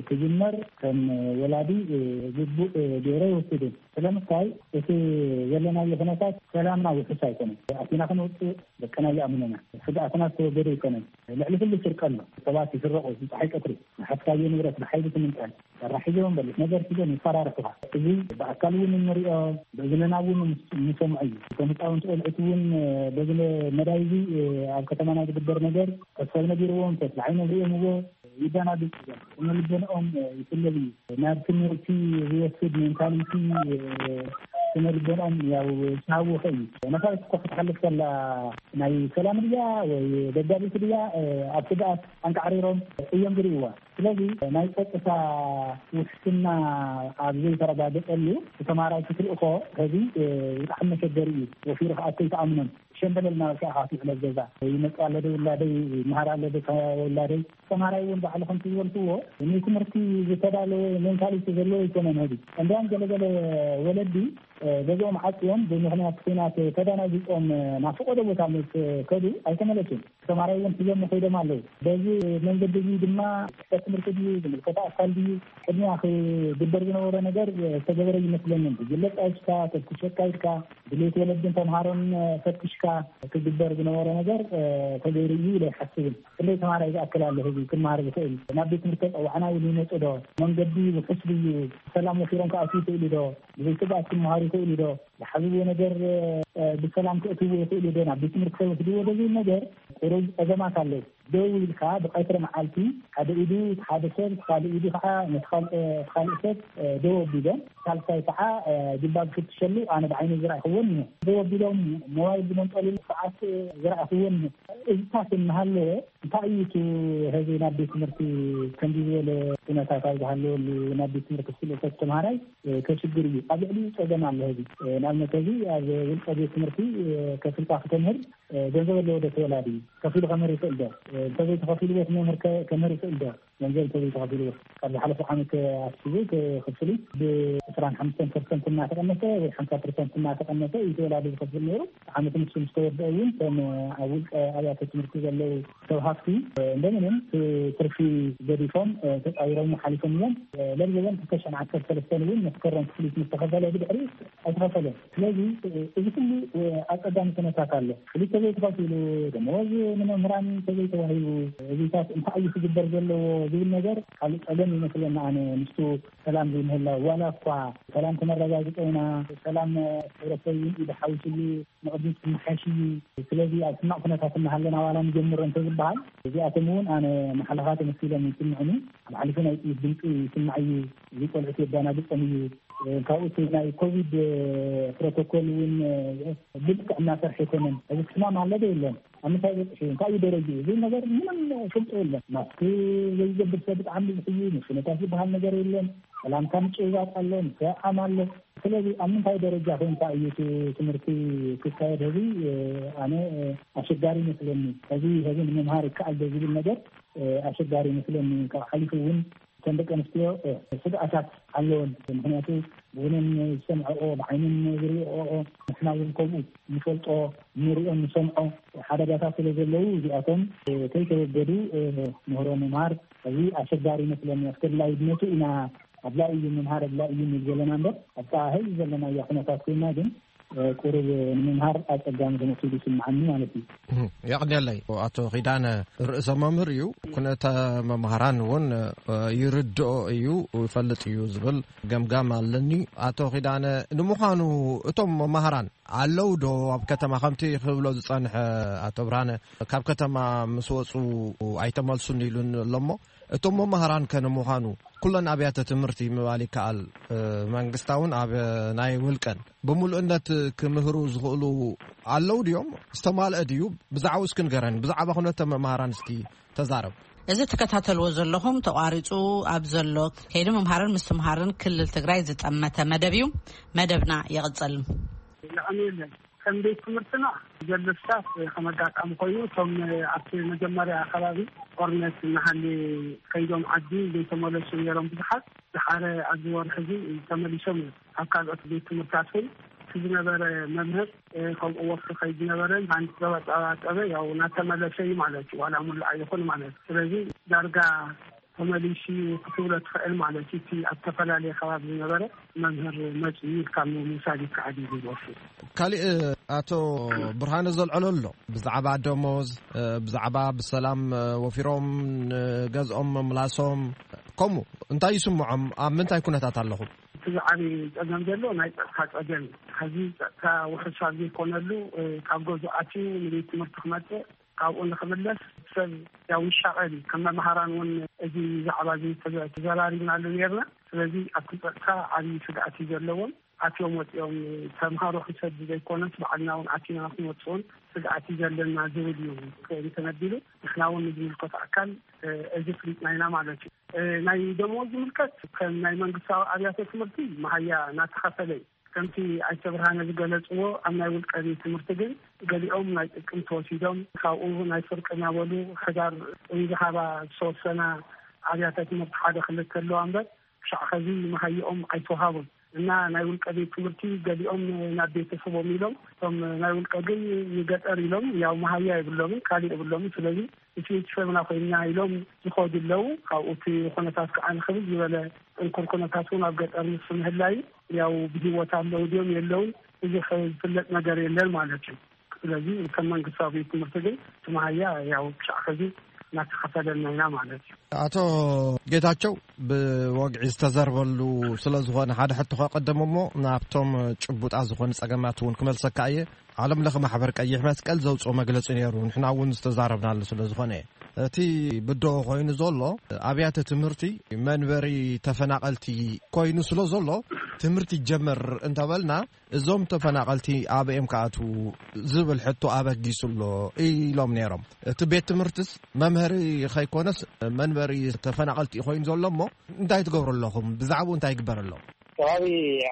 ክጅመር ከም ወላዲ ግቡእ ገይረ ይወስድን። ስለምንታይ እቲ ዘለናዮ ኩነታት ሰላምና ውሑስ ኣይኮነን። ኣቲና ክንወፅእ ደቅና ይኣምኑና። ስግኣትና ዝተወገደ ኣይኮነን። ልዕሊ ኩሉ ስርቂ ኣሎ። ሰባት ይስረቑ፣ ፀሓይ ቀትሪ ዝሓዝካዮ ንብረት ብሓይሊ ትምንጠል። ሰራሕ ሒዞም በሊሕ ነገር ሒዞም ይፈራርሑኻ። እዚ ብኣካል እውን እንሪኦ፣ ብእዝንና እውን ምስ- እንሰምዖ እዩ። እቶም ህፃውንቲ ቆልዑት እውን በዚ መዳይ እዚ ኣብ ከተማና ዝግበር ነገር ሰብ ነጊርዎም፣ ተስፋ ዓይኖም ሪኦምዎ ይደናግፁ እዮም። ስነ ልቦንኦም ይስለብ እዩ። ናብ ትምህርቲ ዝወስድ ሜንታሊቲ ስነ ልቦንኦም ያው ዝተሃወኸ እዩ። ነፋሪት እኮ ክትሓልፍ ከላ ናይ ሰላም ድያ ወይ ደጋፊት ድያ ኣብ ስግኣት ኣንቃዕሪሮም እዮም ዝርእይዋ። ስለዚ ናይ ጸጥታ ውሕስና ኣብ ዘይተረጋገጸሉ ተማራይ ክትልእኮ ሕዚ ብጣዕሚ መሸገሪ እዩ። ወፊሩ ከኣ ከይትኣምኖን ሸምበለል እናበልካ ኢኻ ትውዕል ኣብ ገዛ። ይመጽእ ኣሎ ዶ ውላደይ፣ ይመሃር ኣሎ ዶ ውላደይ። ተማራይ እውን ባዕሉ ከምቲ ዝበልክዎ ንትምህርቲ ዝተዳለወ ሜንታሊቲ ዘለዎ ኣይኮነን ሕዚ። እንዲያም ገለገለ ወለዲ ገዝኦም ዓጽዮም ብምኽንያት ኲናት ተደናጊጾም ናብ ፈቐዶ ቦታ ምስ ከዱ ኣይተመለሱን። ተማራይ እውን ሒዞም ከይዶም ኣለዉ። በዚ መንገዲ እዚ ድማ ጽሕፈት ትምህርቲ ድዩ ዝምልከቶ ኣካል ድዩ ቅድሚያ ክግበር ዝነበሮ ነገር ዝተገበረ ይመስለንን። ብግለጽ ኣይሽካ ተፍትሸካ ኢልካ ድሌት ወለድን ተምሃሮን ፈትሽካ ክግበር ዝነበሮ ነገር ተገይሩ እዩ ኢለ ኣይሓስብን። ክንደይ ተማራይ ዝኣክል ኣሎ ህዝቢ ክመሃር ዝኽእል? ናብ ቤት ትምህርቲ ተጸዋዕና ኢሉ ይመጽእ ዶ? መንገዲ ውሑስ ድዩ? ብሰላም ወፊሮም ክኣትዉ ይኽእሉ ዶ? ብዘይ ስግኣት ክመሃሩ ይኽእሉ ዶ? ዝሓዝዎ ነገር ብሰላም ክእትዎ ይኽእሉ ዶ? ናብ ቤት ትምህርቲ ከይወስድዎ ዶ ዝብል ነገር ቁሩብ ጸገማት ኣለዉ። ደው ኢልካ ብቀትሪ መዓልቲ ሓደ ኢዱ ሓደ ሰብ፣ ካልእ ኢዱ ከዓ ነቲ ካልእ ሰብ ደው ኣቢሎም፣ ሳልሳይ ከዓ ጅባ ዝፍትሸሉ ኣነ ብዓይኒ ዝረኣኹዎን እየ። ደው ኣቢሎም ሞባይል ዝመንጠልሉ ሰዓት ዝረኣኹዎን እየ። እዚታት እናሃለወ እንታይ እዩ እቲ ሕዚ ናብ ቤት ትምህርቲ ከምዚ ዝበለ ኩነታት ኣብ ዝሃለወሉ ናብ ቤት ትምህርቲ ክትልእኮ ተምሃራይ ከሽግር እዩ። ኣብ ልዕሊኡ ጸገም ኣሎ። ሕዚ ንኣብነት ሕዚ ኣብ ውልቀ ቤት ትምህርቲ ከፍልካ ክተምህር ገንዘብ ኣለዎ ዶ ተወላዲ? ከፊሉ ከምህር ይኽእል ዶ? እንተዘይተኸፊሉ ቤት መምህር ከምህር ይኽእል ዶ? ገንዘብ እንተዘይተኸፊሉ ካብ ዝሓለፈ ዓመት ኣትሒዙ እቲ ክፍሊት ብ25% እናተቐነሰ ወይ ሓምሳ ፐርሰንት እናተቐነሰ እዩ ተወላዲ ዝኸፍል ነይሩ። ዓመት ንሱ ምስ ተወደአ እውን ከም ኣብ ውልቀ ኣብያተ ትምህርቲ ዘለዉ ሰብ ሃፍቲ እንደምንም ትርፊ ገዲፎም ተፃዊሮም ሓሊፎም እዮም። ለብዘበን ክልተ ሺሕን ዓሰርተ ሰለስተን እውን መስከረም ክፍሊት ምስ ተኸፈለ ብድሕሪ ኣይተኸፈለን። ስለዚ እዚ ኩሉ ኣፀጋሚ ኩነታት ኣሎ። ክሊተ ዘይተኸፊሉ ደመወዝ ንመምህራን ተዘይተዋሂቡ እዚታት እንታይ እዩ ክግበር ዘለዎ ዝብል ነገር ካልእ ፀገም ይመስለና። ኣነ ምስቱ ሰላም ዘይምህላው ዋላ እኳ ሰላም ክነረጋግፀ ኢና፣ ሰላም ሕብረተሰብ እውን ኢዱ ሓዊሱሉ ንቕድሚት ክመሓየሽ እዩ። ስለዚ ኣብ ሕማቕ ኩነታት እናሃለና ዋላ ንጀምሮ እንተዝበሃል እዚኣቶም እውን ኣነ መሓለኻ ተመሲሎም ይስምዕኒ። ኣብ ሓሊፉ ናይ ጥይት ድምፂ ይስማዕ እዩ። እዚ ቆልዑት የዳናግፀም እዩ። ካብኡ እቲ ናይ ኮቪድ ፕሮቶኮል እውን ብልክዕ እናሰርሐ ኣይኮነን። እዚ ሕማም ኣለዶ የለን ኣብ ምንታይ በፅሑ እንታይ እዩ ደረጅ እዚ ነገር ምንም ፈልጦ የለን። ማስክ ዘይገብር ሰብ ብጣዕሚ ብዙሕ እዩ። ምሽነታት ዝበሃል ነገር የለን። ሰላምታ ምጭብባጥ ኣሎ፣ ምስዕዓም ኣሎ። ስለዚ ኣብ ምንታይ ደረጃ ኮንካ እዩ እቲ ትምህርቲ ክካየድ ህዚ ኣነ ኣሸጋሪ ይመስለኒ። ሕዚ ሕዚ ንምምሃር ይከኣል ዶ ዝብል ነገር ኣሸጋሪ ይመስለኒ። ካብ ሓሊፉ እውን እተን ደቂ ኣንስትዮ ስግኣታት ኣለወን። ምክንያቱ ብእነን ዝሰምዐኦ ብዓይነን ዝሪኦኦ ንሕና እውን ከምኡ ንፈልጦ ንሪኦ ንሰምዖ ሓደጋታት ስለ ዘለዉ እዚኣቶም ከይተወገዱ ምህሮ ምምሃር እዚ ኣሸጋሪ ይመስለኒ። ኣስገድላይነቱ ኢና ኣድላይ እዩ ምምሃር ኣድላይ እዩ ንብል ዘለና እምበር ኣብታ ህዚ ዘለናያ ኩነታት ኮይና ግን ቁሩብ ንምምሃር ኣፀጋሚ ተመሲሉ ይስምዓኒ ማለት እዩ። የቕንየለይ ኣቶ ኺዳነ ርእሰ መምህር እዩ። ኩነተ መምሃራን እውን ይርድኦ እዩ ይፈልጥ እዩ ዝብል ገምጋም ኣለኒ። ኣቶ ኺዳነ ንምዃኑ እቶም መምሃራን ኣለዉ ዶ ኣብ ከተማ ከምቲ ክብሎ ዝጸንሐ ኣቶ ብርሃነ ካብ ከተማ ምስ ወጹ ኣይተመልሱን ኢሉን ኣሎ እሞ እቶም መምሃራን ከ ንምዃኑ ኩለን ኣብያተ ትምህርቲ ምባል ይከኣል መንግስታውን ኣብ ናይ ውልቀን ብምሉእነት ክምህሩ ዝኽእሉ ኣለዉ ድዮም? ዝተማልአ ድዩ? ብዛዕባኡ እስኪ ንገረኒ። ብዛዕባ ኩነተ መምሃራን እስኪ ተዛረብ። እዚ ትከታተልዎ ዘለኹም ተቋሪፁ ኣብ ዘሎ ከይዲ ምምሃርን ምስትምሃርን ክልል ትግራይ ዝጠመተ መደብ እዩ። መደብና ይቕፅል። ከም ቤት ትምህርትና ዘሎ ስታፍ ከም ኣጋጣሚ ኮይኑ እቶም ኣብቲ መጀመርያ ከባቢ ጦርነት እናሃለ ከይዶም ዓዲ ዘይተመለሱ ነይሮም ብዙሓት። ዝሓረ ኣብዚ ወርሒ እዚ ተመሊሶም እዮም። ኣብ ካልኦት ቤት ትምህርታት እውን እቲ ዝነበረ መምህር ከምኡ ወፍሪ ከይድ ዝነበረ መሃንዲስ ዘባፀባፀበ ያው እናተመለሰ እዩ ማለት እዩ። ዋላ ሙሉእ ኣይኹን ማለት እዩ። ስለዚ ዳርጋ ተመሊሱ ክትብሎ ትኽእል ማለት እዩ። እቲ ኣብ ዝተፈላለየ ከባቢ ዝነበረ መምህር መፂኡ ኢልካ ምውሳድ ይከኣል እዩ ዝወስድ። ካሊእ ኣቶ ብርሃነ ዘልዐሎ ኣሎ ብዛዕባ ደሞዝ ብዛዕባ ብሰላም ወፊሮም ንገዝኦም ምምላሶም ከምኡ እንታይ ይስምዖም ኣብ ምንታይ ኩነታት ኣለኹም? እቲ ዝዓቢ ፀገም ዘሎ ናይ ፀጥታ ፀገም እዩ። ሕዚ ፀጥታ ውሕስ ኣብ ዘይኮነሉ ካብ ገዝኡ ኣትዩ ንቤት ትምህርቲ ክመፅእ ካብኡ ንክምለስ ሰብ ያው ይሻቐል እዩ። ከም መምሃራን እውን እዚ ዛዕባ እዚ ተዘራሪብናሉ ነርና። ስለዚ ኣብቲ ፀጥታ ዓብዪ ስግኣት እዩ ዘለዎም። ኣትዮም ወፂኦም ተምሃሮ ክንሰድ ዘይኮነስ ባዕልና እውን ኣቲና ክንወፅኦን ስግኣት እዩ ዘለና ዝብል እዩ ተነቢሩ። ንሕና እውን ንዝምልከቶ ኣካል እዚ ፍሊጥና ኢና ማለት እዩ። ናይ ደሞዝ ዝምልከት ከም ናይ መንግስታዊ ኣብያተ ትምህርቲ መሃያ እናተኸፈለ እዩ። ከምቲ ኣይተ ብርሃነ ዝገለፅዎ ኣብ ናይ ውልቀ ቤት ትምህርቲ ግን ገሊኦም ናይ ጥቅምቲ ወሲዶም ካብኡ ናይ ፍርቂ እናበሉ ሕዳር ዝሃባ ዝተወሰና ኣብያተ ትምህርቲ ሓደ ክልተ ኣለዋ እምበር ክሻዕ ከዚ መሃይኦም ኣይተውሃቡን እና ናይ ውልቀ ቤት ትምህርቲ ገሊኦም ናብ ቤተሰቦም ኢሎም እቶም ናይ ውልቀ ግን ንገጠር ኢሎም ያው መሃያ የብሎምን ካሊእ የብሎምን ስለዚ እቲ ቤተሰብና ኮይንና ኢሎም ዝኸዱ ኣለዉ። ካብኡ እቲ ኩነታት ከዓ ንክብል ዝበለ ጥንኩር ኩነታት እውን ኣብ ገጠር ንሱ ምህላዩ ያው ብህይወት ኣለዉ ድዮም የለውን ብዙሕ ዝፍለጥ ነገር የለን ማለት እዩ። ስለዚ ከም መንግስታዊ ቤት ትምህርቲ ግን እቲ መሃያ ያው ክሻዕ ከዚ እናተኸፈለና ኢና ማለት እዩ። ኣቶ ጌታቸው ብወግዒ ዝተዘርበሉ ስለ ዝኾነ ሓደ ሕቶ ከቀደም እሞ ናብቶም ጭቡጣ ዝኾኑ ጸገማት እውን ክመልሰካ እየ። ዓለም ለኸ ማሕበር ቀይሕ መስቀል ዘውፅኦ መግለፂ ነይሩ ንሕና እውን ዝተዛረብናሉ ስለ ዝኾነ እየ። እቲ ብድሆ ኮይኑ ዘሎ ኣብያተ ትምህርቲ መንበሪ ተፈናቐልቲ ኮይኑ ስለ ዘሎ ትምህርቲ ይጀመር እንተበልና እዞም ተፈናቐልቲ ኣበይ እዮም ክኣትዉ ዝብል ሕቶ ኣበጊሱ ኣሎ ኢሎም ነይሮም። እቲ ቤት ትምህርትስ መምሀሪ ከይኮነስ መንበሪ ተፈናቐልቲ እዩ ኮይኑ ዘሎ እሞ እንታይ ትገብሩ ኣለኹም? ብዛዕባኡ እንታይ ይግበር ኣሎ? ከባቢ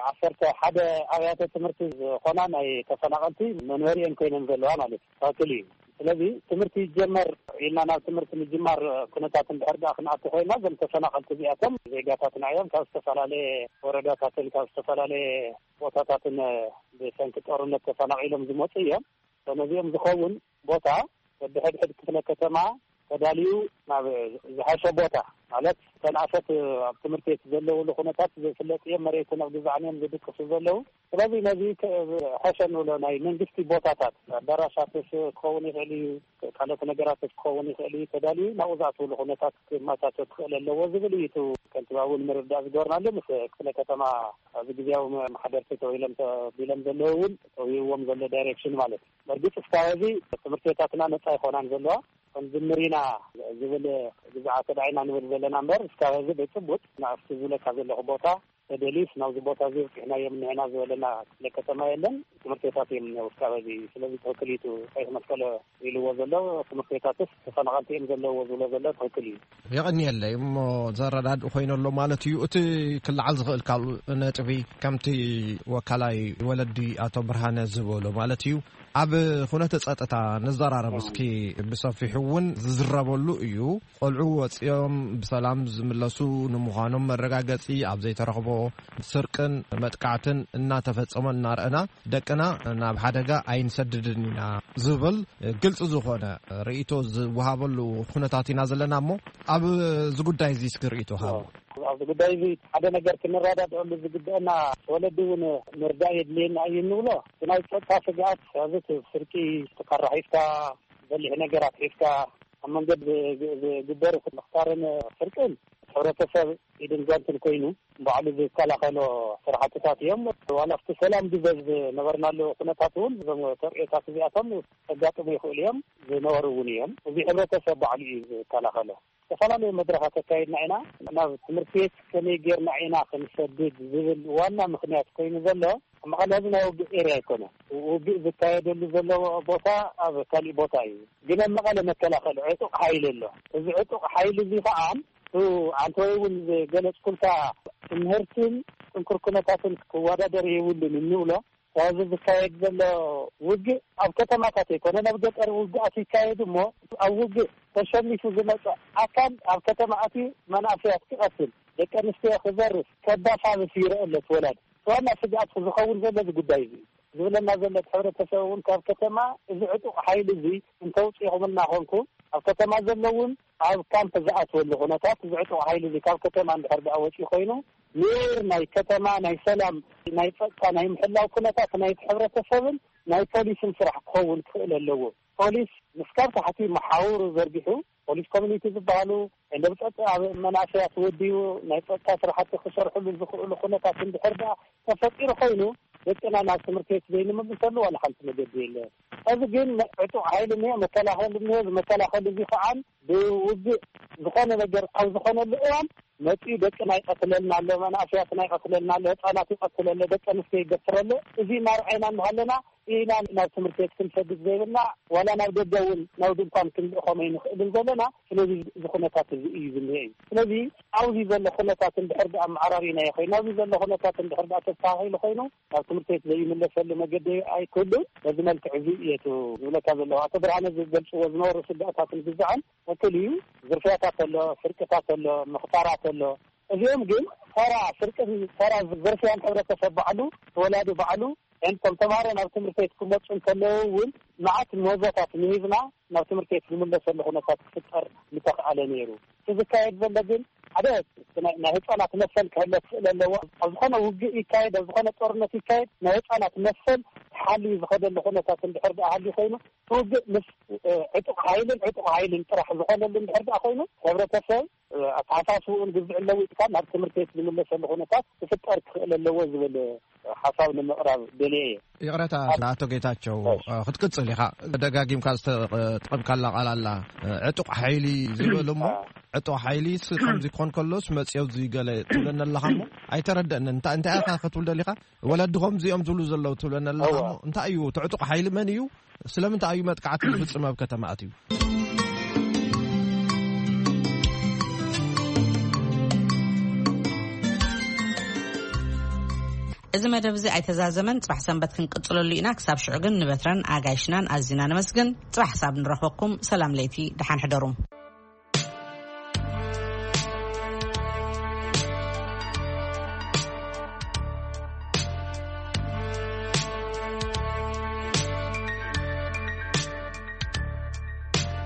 ዓሰርተ ሓደ ኣብያተ ትምህርቲ ዝኾና ናይ ተፈናቐልቲ መንበሪኤን ኮይነን ዘለዋ ማለት እዩ። ትኽክል እዩ። ስለዚ ትምህርቲ ይጀመር ኢልና ናብ ትምህርቲ ምጅማር ኩነታት እንድሕር ደኣ ክንኣቱ ኮይና፣ እዞም ተፈናቐልቲ እዚኣቶም ዜጋታትና እዮም። ካብ ዝተፈላለየ ወረዳታትን ካብ ዝተፈላለየ ቦታታትን ብሰንኪ ጦርነት ተፈናቒሎም ዝመፁ እዮም። ነዚኦም ዝኸውን ቦታ በብሕድሕድ ክፍለ ከተማ ተዳልዩ ናብ ዝሓሸ ቦታ፣ ማለት ተንኣሰት ኣብ ትምህርቲ ቤት ዘለውሉ ኩነታት ዘይፍለጥ እዮም። መሬትን ኣብ ግዛዕን እዮም ዝድቅሱ ዘለዉ። ስለዚ ነዚ ከ-፣ ሕሸ ንብሎ ናይ መንግስቲ ቦታታት፣ ኣዳራሻትስ ክኸውን ይኽእል እዩ፣ ካልኦት ነገራትስ ክኸውን ይኽእል እዩ፣ ተዳልዩ ናብኡ ዝኣትውሉ ኩነታት ክመቻቸ ክኽእል ኣለዎ ዝብል እዩ። እቲ ከንቲባ እውን ምርዳእ ዝገበርናሉ ምስ ክፍለ ከተማ ኣብዚ ግዜያዊ መ-፣ ማሕደርቲ ተባሂሎም ተቢሎም ዘለዉ እውን ተውህብዎም ዘሎ ዳይሬክሽን ማለት እዩ። በእርግጥ እስካብ ሕዚ ትምህርቲ ቤታትና ነጻ ይኾናን ዘለዋ፣ ክንጅምር ኢና ዝብል ግዝኣት ደኣ ኢና ንብል ዘለና እምበር፣ እስካብ ሕዚ ብጭቡጥ ንኣብቲ ዝብለካ ዘለኹ ቦታ ተደልዩስ ናብዚ ቦታ እዚ ኣብቂዕናዮም እኒሀና ዝበለና ክፍለ ከተማ የለን። ትምህርቲ ቤታት እዮም እኒአው እስካብ ሕዚ። ስለዚ ትኽክል እዩ፣ እቲ ቀይሕ መስቀል ኢልዎ ዘሎ ትምህርቲ ቤታትስ ተፈናቐልቲ እዮም ዘለዎ ዝብሎ ዘሎ ትኽክል እዩ። የቐንየለይ። እሞ ዘረዳድእ ኮይኑ ኣሎ ማለት እዩ። እቲ ክለዓል ዝኽእል ካልእ ነጥቢ፣ ከምቲ ወካላይ ወለዲ ኣቶ ብርሃነ ዝበሎ ማለት እዩ፣ ኣብ ኩነተ ጸጥታ ንዘራረብ እስኪ። ብሰፊሑ እውን ዝዝረበሉ እዩ። ቆልዑ ወጺኦም ብሰላም ዝምለሱ ንምዃኖም መረጋገጺ ኣብ ዘይተረኽቦ፣ ስርቅን መጥቃዕትን እናተፈጸመ እናረኣና፣ ደቅና ናብ ሓደጋ ኣይንሰድድን ኢና ዝብል ግልጺ ዝኾነ ርእይቶ ዝወሃበሉ ኩነታት ኢና ዘለና እሞ፣ ኣብዚ ጉዳይ እዚ እስኪ ርእይቶ ሃቡ። ኣብዚ ጉዳይ እዚ ሓደ ነገር ክንረዳድኣሉ ዝግበአና፣ ወለዲ እውን ምርዳእ የድልየና እዩ እንብሎ። እቲ ናይ ጸጥታ ስግኣት፣ ኣብዚ እቲ ስርቂ፣ ተካራ ሒዝካ፣ በሊሕ ነገራት ሒዝካ፣ ኣብ መንገዲ ዝ-፣ ዝ-፣ ዝግበሩ ምኽታርን ስርቅን፣ ሕብረተሰብ ኢድን ጓንትን ኮይኑ ባዕሉ ዝከላኸሎ ስራሕትታት እዮም። ዋላ ኣብቲ ሰላም ድበ ዝነበርናሉ ኩነታት እውን እዞም ተርእዮታት እዚኣቶም ከጋጥሙ ይኽእሉ እዮም፣ ዝነበሩ እውን እዮም። እዚ ሕብረተሰብ ባዕሉ እዩ ዝከላኸሎ። ዝተፈላለዩ መድረኻት ኣካይድና ኢና። ናብ ትምህርቲ ቤት ከመይ ጌርና ኢና ክንሰድድ ዝብል ዋና ምኽንያት ኮይኑ ዘሎ፣ ኣብ መቐለ እዚ ናይ ውግእ ኤርያ ኣይኮነ። ውግእ ዝካየደሉ ዘሎ ቦታ ኣብ ካሊእ ቦታ እዩ። ግን ኣብ መቐለ መከላኸሊ ዕጡቕ ሓይሊ ኣሎ። እዚ ዕጡቕ ሓይሊ እዚ ከዓ፣ እ፣ ኣንተ ወይ እውን ዝገለጽኩልካ፣ ትምህርትን ጥንኩር ኩነታትን ክወዳደር የብሉን እንብሎ። ስለዚ ዝካየድ ዘሎ ውግእ ኣብ ከተማታት ኣይኮነን፣ ኣብ ገጠር ውግኣት ይካየድ እሞ፣ ኣብ ውግእ ተሸኒፉ ዝመጸ ኣካል ኣብ ከተማ ኣትዩ መናእሰያት ክቐትል፣ ደቂ ኣንስትዮ ክዘርፍ፣ ከባሳብስ ይረአ ኣሎ እቲ ወላዲ። ዋና ስግኣት ዝኸውን ዘሎ እዚ ጉዳይ እዚ እዩ። ዝብለና ዘሎ እቲ ሕብረተሰብ እውን ካብ ከተማ እዚ ዕጡቕ ሓይሊ እዚ እንተውፅእኹምልና ኮንኩም፣ ኣብ ከተማ ዘሎ እውን ኣብ ካምፕ ዝኣትወሉ ኩነታት፣ እዚ ዕጡቕ ሓይሊ እዚ ካብ ከተማ እንድሕር ደኣ ወፂኡ ኮይኑ፣ ኔር ናይ ከተማ ናይ ሰላም፣ ናይ ጸጥታ፣ ናይ ምሕላው ኩነታት ናይቲ ሕብረተሰብን ናይ ፖሊስን ስራሕ ክኸውን ክኽእል ኣለዎ። ፖሊስ ምስ ካብ ታሕቲ መሓውሩ ዘርጊሑ፣ ፖሊስ ኮሚኒቲ ዝበሃሉ፣ እንደ ብጸጥ ኣብ መናእሰያት ወዲኡ ናይ ጸጥታ ስራሕቲ ክሰርሕሉ ዝኽእሉ ኩነታት እንድሕር ደኣ ተፈጢሩ ኮይኑ፣ ደቅና ናብ ትምህርቲ ቤት ዘይንምልሰሉ ዋላ ሓንቲ መገዲ የለን። እዚ ግን ዕጡቕ ሓይሊ እኒኦ፣ መከላኸሊ እኒኦ፣ እዚ መከላኸሊ እዚ ከዓ ብውግእ ዝኾነ ነገር ኣብ ዝኾነሉ እዋን መፂኡ ደቅና ይቐትለልና ኣሎ፣ መናእሰያትና ይቐትለልና ኣሎ፣ ህፃናት ይቐትለ ኣሎ፣ ደቂ ኣንስትዮ ይደፍረ ኣሎ። እዚ እናርኣይና እናሃለና ኢና ናብ ትምህርቲ ቤት ክንሰድድ ዘይብልና፣ ዋላ ናብ ደገ እውን ናብ ድንኳን ክንልእኾም ኣይንኽእልን ዘለና። ስለዚ እዚ ኩነታት እዚ እዩ ዝኒሀ እዩ። ስለዚ ኣብዚ ዘሎ ኩነታት እንድሕር ደኣ ኣመዓራሪናዮ ኮይኑ፣ ኣብዚ ዘሎ ኩነታት እንድሕር ደኣ ተስተኻኺሉ ኮይኑ፣ ናብ ትምህርቲ ቤት ዘይምለሰሉ መገዲ ኣይክህሉን። በዚ መልክዕ እዚ እየ እቲ ዝብለካ ዘለኹ። ኣቶ ብርሃነ ዝገልፅዎ ዝነበሩ ስጋኣታትን ግዛዕን ትኽክል እዩ። ዝርፍያታት ኣሎ፣ ስርቅታት ኣሎ፣ ምኽታራት ኣሎ። እዚኦም ግን ተራ ስርቅን ተራ ዝርፍያን፣ ሕብረተሰብ ባዕሉ፣ ወላዲ ባዕሉ፣ እንቶም ተምሃሮ ናብ ትምህርቲ ቤት ክመፁ እንከለዉ እውን መዓት ምህዞታት ምሂዝና ናብ ትምህርቲ ቤት ዝምለሰሉ ኩነታት ክፍጠር ምተኽኣለ ነይሩ። እቲ ዝካየድ ዘሎ ግን ሓደ ናይ፣ ናይ ህፃናት መሰል ክሕለ ክኽእል ኣለዎ። ኣብ ዝኾነ ውግእ ይካየድ፣ ኣብ ዝኾነ ጦርነት ይካየድ፣ ናይ ህፃናት መሰል ተሓልዩ ዝኸደሉ ኩነታት እንድሕር ደኣ ሃልዩ ኮይኑ፣ እቲ ውግእ ምስ፣ እ፣ ዕጡቕ ሓይልን ዕጡቕ ሓይልን ጥራሕ ዝኾነሉ እንድሕር ደኣ ኮይኑ፣ ሕብረተሰብ፣ እ፣ ኣተሓሳስብኡን ግዝዕን ለዊጥካ ናብ ትምህርቲ ቤት ዝምለሰሉ ኩነታት ክፍጠር ክኽእል ኣለዎ ዝብል ሓሳብ ንምቕራብ ደልየ እየ። ይቕረታ ኣቶ ጌታቸው፣ እሺ። እ፣ ክትቅጽል ኢኻ። ደጋጊምካ ዝተጠቐምካላ ቃል ኣላ፣ እ፣ ዕጡቕ ሓይሊ ዝብል እሞ፣ አ። ዕጡቕ ሓይሊ ስ-፣ ከምዚ ክኾን ከሎስ መጽዮ እዚ ገለ ትብለኒ ኣለኻ እሞ፣ ኣይተረደእንን። እንታ-፣ እንታይ ኢኻ ክትብል ደሊኻ? ወለድኹም እዚኦም ዝብሉ ዘለዉ ትብለኒ ኣለኻ እዋ። እሞ፣ እንታይ እዩ? እቲ ዕጡቕ ሓይሊ መን እዩ? ስለምንታይ እዩ መጥቃዕቲ ዝፍጽም ኣብ ከተማ ኣትዩ? እዚ መደብ እዚ ኣይተዛዘመን፣ ጽባሕ ሰንበት ክንቅጽለሉ ኢና። ክሳብ ሽዑ ግን ንበትረን ኣጋይሽናን ኣዚና ነመስግን። ጽባሕ ክሳብ ንረኽበኩም፣ ሰላም ለይቲ፣ ደሓን ሕደሩ።